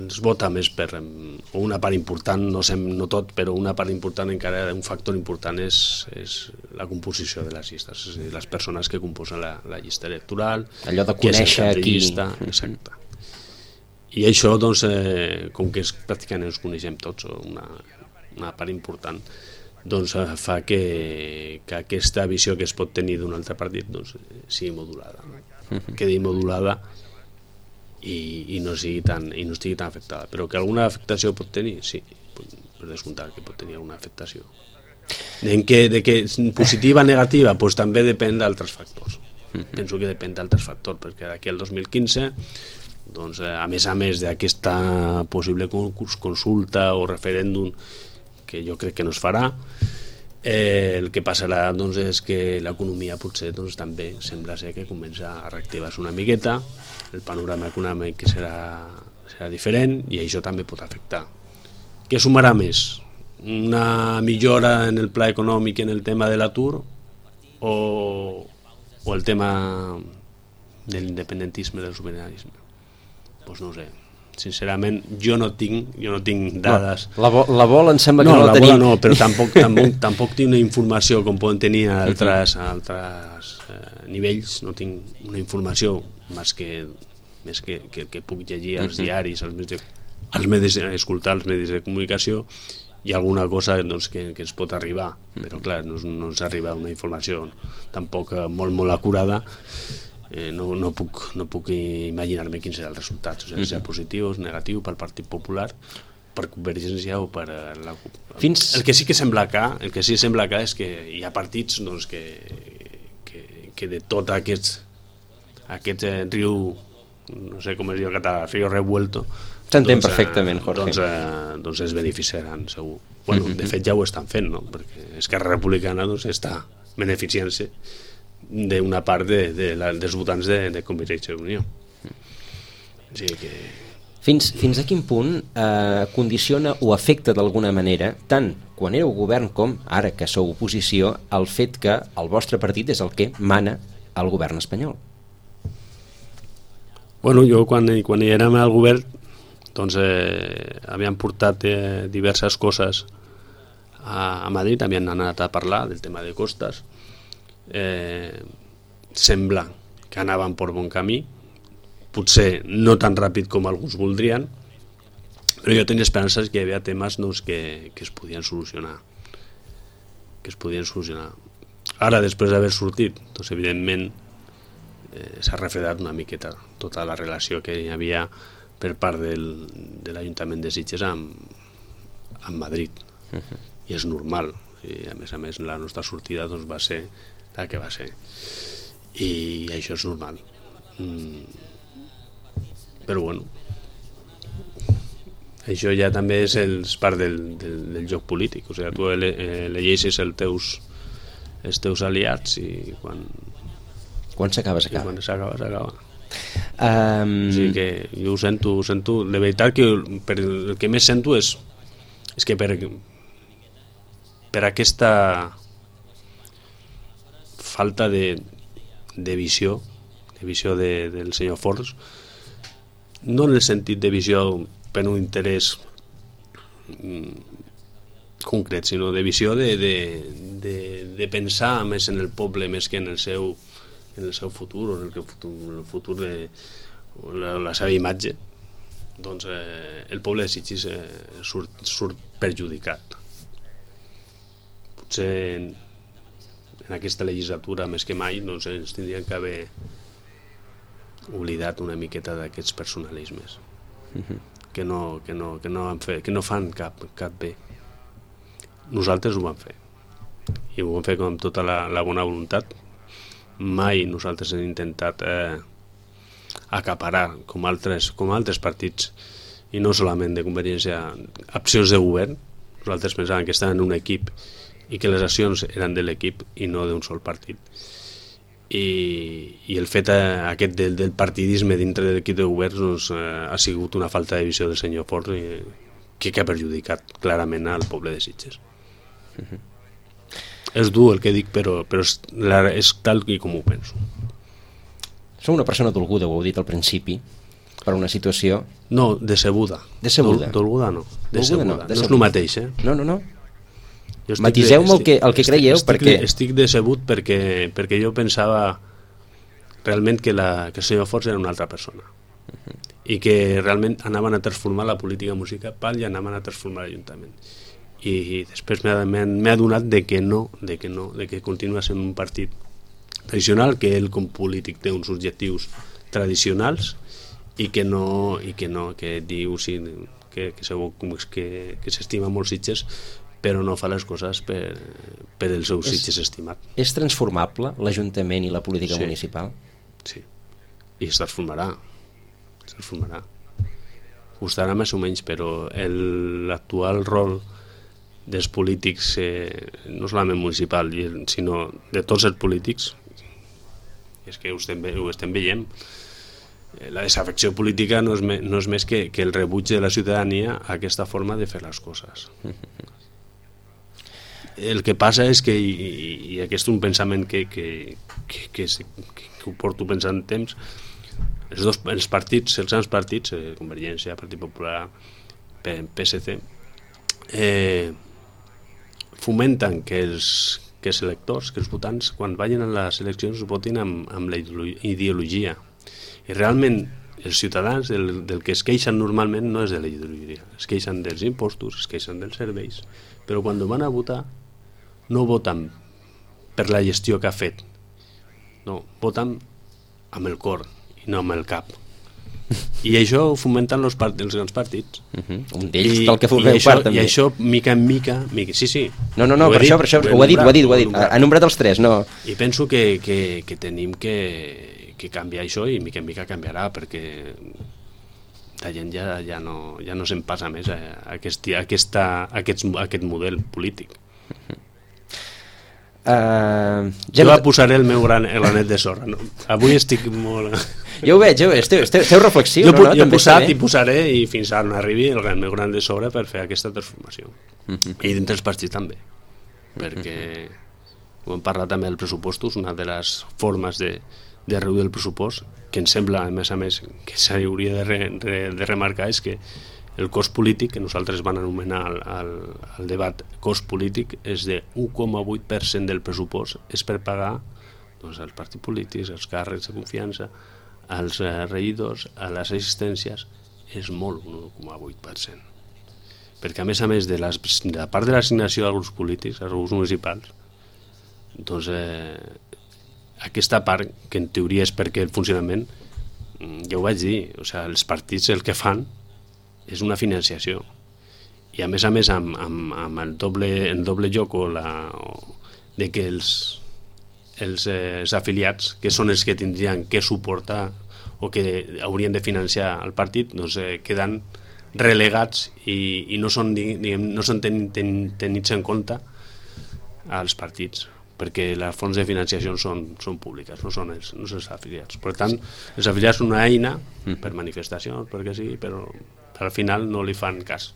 es vota més per, o una part important, no, sem, no tot, però una part important encara, un factor important és, és la composició de les llistes, és a dir, les persones que composen la, la llista electoral, allò de conèixer qui... llista, exacte. I això, doncs, eh, com que és, pràcticament ens coneixem tots, una, una part important, doncs fa que, que aquesta visió que es pot tenir d'un altre partit doncs, sigui modulada, no? Uh-huh. Quedi modulada i, i, no sigui tan, i no estigui tan afectada. Però que alguna afectació pot tenir, sí, per descomptar que pot tenir alguna afectació. En que, de que positiva o negativa, doncs també depèn d'altres factors. Uh-huh. Penso que depèn d'altres factors, perquè d'aquí al dos mil quinze, doncs, a més a més d'aquesta possible consulta o referèndum que jo crec que no es farà, eh, el que passarà doncs, és que l'economia potser doncs, també sembla ser que comença a reactivar-se una miqueta, el panorama econòmic serà, serà diferent i això també pot afectar. Què sumarà més? Una millora en el pla econòmic en el tema de l'atur o, o el tema de l'independentisme, del sobiranisme? Doncs no ho sé. Sincerament, jo no tinc, jo no tinc dades. No, la, bo, la bola em sembla que no, no la, la tenim. Bola no, però tampoc, tampoc, tampoc tinc una informació com poden tenir a altres, a altres eh, nivells. No tinc una informació més que, més que, que, que puc llegir als uh-huh. diaris, als medis, als medis, escoltar els medis de comunicació i alguna cosa doncs, que, que ens pot arribar. Però clar, no, no ens arriba una informació tampoc molt, molt acurada. Eh, no, no, puc, no puc imaginar-me quin serà el resultat, o sigui, uh-huh. serà positiu o negatiu pel Partit Popular, per Convergència o per la CUP. Fins... El que sí que sembla clar, el que sí sembla clar és que hi ha partits doncs, que, que, que de tot aquest, aquest eh, riu, no sé com es diu en català, riu revuelto, s'entén doncs, perfectament, Jorge. Doncs, eh, doncs es beneficiaran, segur. Bueno, uh-huh. De fet ja ho estan fent, no? Perquè Esquerra Republicana doncs, està beneficiant-se d'una part de, de la, dels votants de, de Convergència i Unió. O sigui que... Fins, fins a quin punt eh, condiciona o afecta d'alguna manera, tant quan éreu govern com ara que sou oposició, el fet que el vostre partit és el que mana al govern espanyol? Bueno, jo quan, quan hi érem al govern doncs eh, havíem portat eh, diverses coses a, a Madrid, havien anat a parlar del tema de costes, eh, sembla que anaven per bon camí, potser no tan ràpid com alguns voldrien, però jo tenia esperances que hi havia temes doncs, que, que es podien solucionar que es podien solucionar ara després d'haver sortit doncs evidentment eh, s'ha refredat una miqueta tota la relació que hi havia per part del, de l'Ajuntament de Sitges amb, amb Madrid. Uh-huh. I és normal, i a més a més la nostra sortida doncs, va ser la que va ser i això és normal. mm. Però bueno, això ja també és el, part del, del, del joc polític, o sigui, tu elegeixes els teus, els teus aliats i quan quan s'acaba, s'acaba. Quan s'acaba, s'acaba. Um... O sigui que jo ho sento, ho sento, de veritat que per, el que més sento és, és que per, per aquesta falta de, de visió, de visió de, del senyor Forns, no en el sentit de visió per un interès concret, sinó de visió de, de, de, de pensar més en el poble més que en el seu, en el seu futur, o en el, futur, en el futur de la, la seva imatge, doncs eh, el poble de Sitges eh, surt, surt perjudicat. Potser en, en aquesta legislatura més que mai doncs, ens tindrien que haver oblidat una miqueta d'aquests personalismes uh-huh. que, no, que, no, que, no han fet, que no fan cap, cap bé. Nosaltres ho vam fer i ho vam fer amb tota la, la bona voluntat. Mai nosaltres hem intentat eh, acaparar com altres, com altres partits, i no solament de Convergència, accions de govern. Nosaltres pensàvem que estaven en un equip i que les accions eren de l'equip i no d'un sol partit. I, i el fet eh, aquest del, del partidisme dintre de l'equip de govern doncs, eh, ha sigut una falta de visió del senyor Forns i, que, que ha perjudicat clarament al poble de Sitges. Uh-huh. És dur el que dic, però, però és, la, és tal i com ho penso. Sou una persona dolguda, ho heu dit al principi, per una situació... No, decebuda. Decebuda? Dol, dolguda no. Decebuda. No, no és el mateix, eh? No, no, no. Matiseu-me el que, el que creieu, estic, perquè... Estic decebut perquè, perquè jo pensava realment que, la, que el senyor Forns era una altra persona. Uh-huh. I que realment anaven a transformar la política municipal i anaven a transformar l'Ajuntament. I, i després m'he adonat de que no, de que no, de que continua sent un partit tradicional, que ell com polític té uns objectius tradicionals i que no, i que no, que diu sí, que, que, que, que s'estima molt Sitges, però no fa les coses per, per el seu Sitges estimat. És transformable l'Ajuntament i la política sí. municipal? Sí, i es transformarà. Es transformarà. Costarà més o menys, però l'actual rol dels polítics, eh, no solament municipal, sinó de tots els polítics, és que ho estem, ho estem veient. La desafecció política no és, me, no és més que, que el rebuig de la ciutadania a aquesta forma de fer les coses. El que passa és que, i, i aquest és un pensament que, que, que, que, que, que ho porto pensant temps, els, dos, els partits, els grans partits, eh, Convergència, Partit Popular, P S C, eh, fomenten que els, que els electors, que els votants, quan vagin a les eleccions, votin amb, amb la ideologia. I realment els ciutadans del, del que es queixen normalment no és de la ideologia, es queixen dels impostos, es queixen dels serveis, però quan van a votar no voten per la gestió que ha fet, no, voten amb el cor i no amb el cap. I això ho fomenten els, part, els grans partits. Uh-huh. Un d'ells del que formeu part, també. I això, mica en mica, mica... Sí, sí. No, no, no, per dit, això, per això, ho, ho ha dit, ho ha dit, ho ha dit. Ha nombrat els tres, no... I penso que, que, que tenim que, que canviar això i mica en mica canviarà, perquè la gent ja, ja no, ja no se'n passa més a, a, aquest, a, aquesta, a, aquest, a aquest model polític. Uh-huh. Uh, ja jo no... posaré el meu gran, el granet de sorra. No? Avui estic molt... Jo ho veig, jo, esteu, esteu, esteu reflexiu, jo, no? no? Jo he posat i posaré i fins ara no arribi el meu gran de sobre per fer aquesta transformació. Mm-hmm. I dintre els partits també, perquè ho hem parlat també dels pressupostos, una de les formes de, de reduir el pressupost, que em sembla, a més a més, que s'hauria de, re, de, de remarcar és que el cost polític, que nosaltres van anomenar al, al, al debat cost polític, és de un coma vuit per cent del pressupost, és per pagar doncs, els partits polítics, els càrrecs de confiança, als eh, regidors, a les assistències, és molt, un un coma vuit per cent. Perquè a més a més de, les, de la part de l'assignació dels grups polítics, als grups municipals, doncs eh, aquesta part, que en teoria és perquè el funcionament, ja ho vaig dir, o sigui, els partits el que fan és una financiació. I a més a més amb, amb, amb el, doble, el doble joc o la, o de que els, els, eh, els afiliats, que són els que tindrien que suportar o que haurien de financiar el partit, doncs eh, queden relegats i, i no són, diguem, no són ten, ten, tenits en compte als partits, perquè les fonts de financiació són, són públiques, no són els, no són els afiliats. Per tant, els afiliats són una eina per manifestacions, perquè sí, però al final no li fan cas.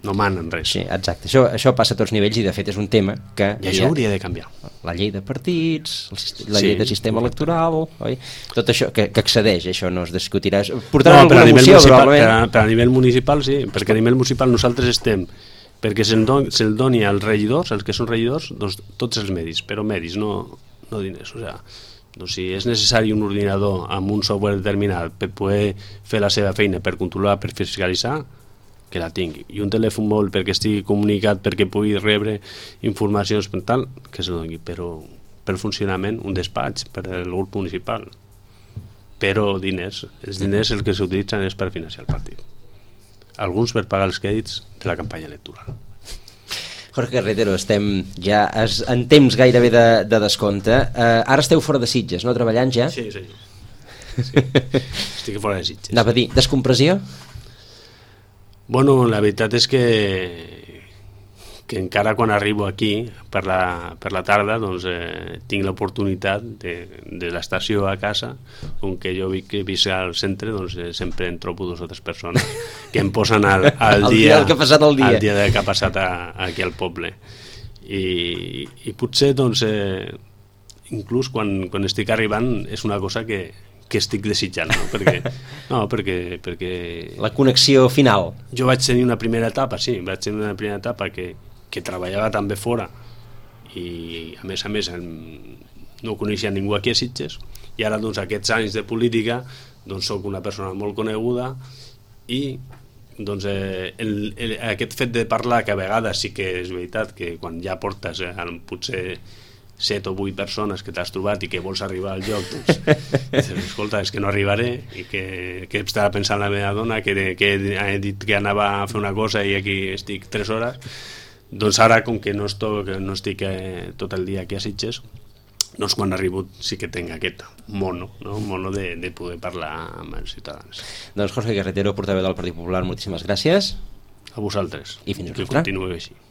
No manen res. Sí, exacte. Això, això passa a tots nivells i de fet és un tema que... I això ja, hauria de canviar. La llei de partits, el, la llei sí, de sistema electoral, oi? Tot això que, que accedeix, això no es discutirà. Portarà no, alguna moció, probablement. Per a, per a nivell municipal, sí, perquè a nivell municipal nosaltres estem perquè se'l don, se doni als regidors, els que són regidors, doncs tots els medis, però medis, no, no diners. O sigui, doncs si és necessari un ordinador amb un software determinat per poder fer la seva feina, per controlar, per fiscalitzar, que la tingui, i un telèfon mòbil perquè estigui comunicat, perquè pugui rebre informacions per tal, que se doni, però per funcionament un despatx per al grup municipal, però diners, els diners els que s'utilitzen és per financiar el partit, alguns per pagar els crèdits de la campanya electoral. Jorge Carretero, estem ja en temps gairebé de, de descompte. Uh, ara esteu fora de Sitges, no? Treballant ja? Sí, sí. sí. Estic fora de Sitges. Anava a dir, descompressió? Bueno, la veritat és que, que encara quan arribo aquí per la, per la tarda doncs, eh, tinc l'oportunitat de, de l'estació a casa, on que jo vi, que visc al centre, doncs, eh, sempre en trobo dos o tres persones que em posen al, al el dia, dia que ha passat el dia, al dia que ha passat a, aquí al poble. I, i potser doncs, eh, inclús quan, quan estic arribant és una cosa que que estic desitjant, no? Perquè, no, perquè, perquè... La connexió final. Jo vaig tenir una primera etapa, sí, vaig tenir una primera etapa que, que treballava també fora i a més a més no coneixia ningú aquí a Sitges i ara doncs aquests anys de política doncs soc una persona molt coneguda i doncs eh, el, el, aquest fet de parlar, que a vegades sí que és veritat que quan ja portes eh, potser set o vuit persones que t'has trobat i que vols arribar al lloc, doncs dius, escolta, és que no arribaré i que, que estava pensant la meva dona que, que he dit que anava a fer una cosa i aquí estic tres hores, doncs ara com que no, estic, no estic eh, tot el dia aquí a Sitges, doncs quan arribo sí que tinc aquest mono, no? mono de, de poder parlar amb els ciutadans. Doncs Jorge Carretero, portaveu del Partit Popular, moltíssimes gràcies. A vosaltres. I fins una altra. Que continueu així.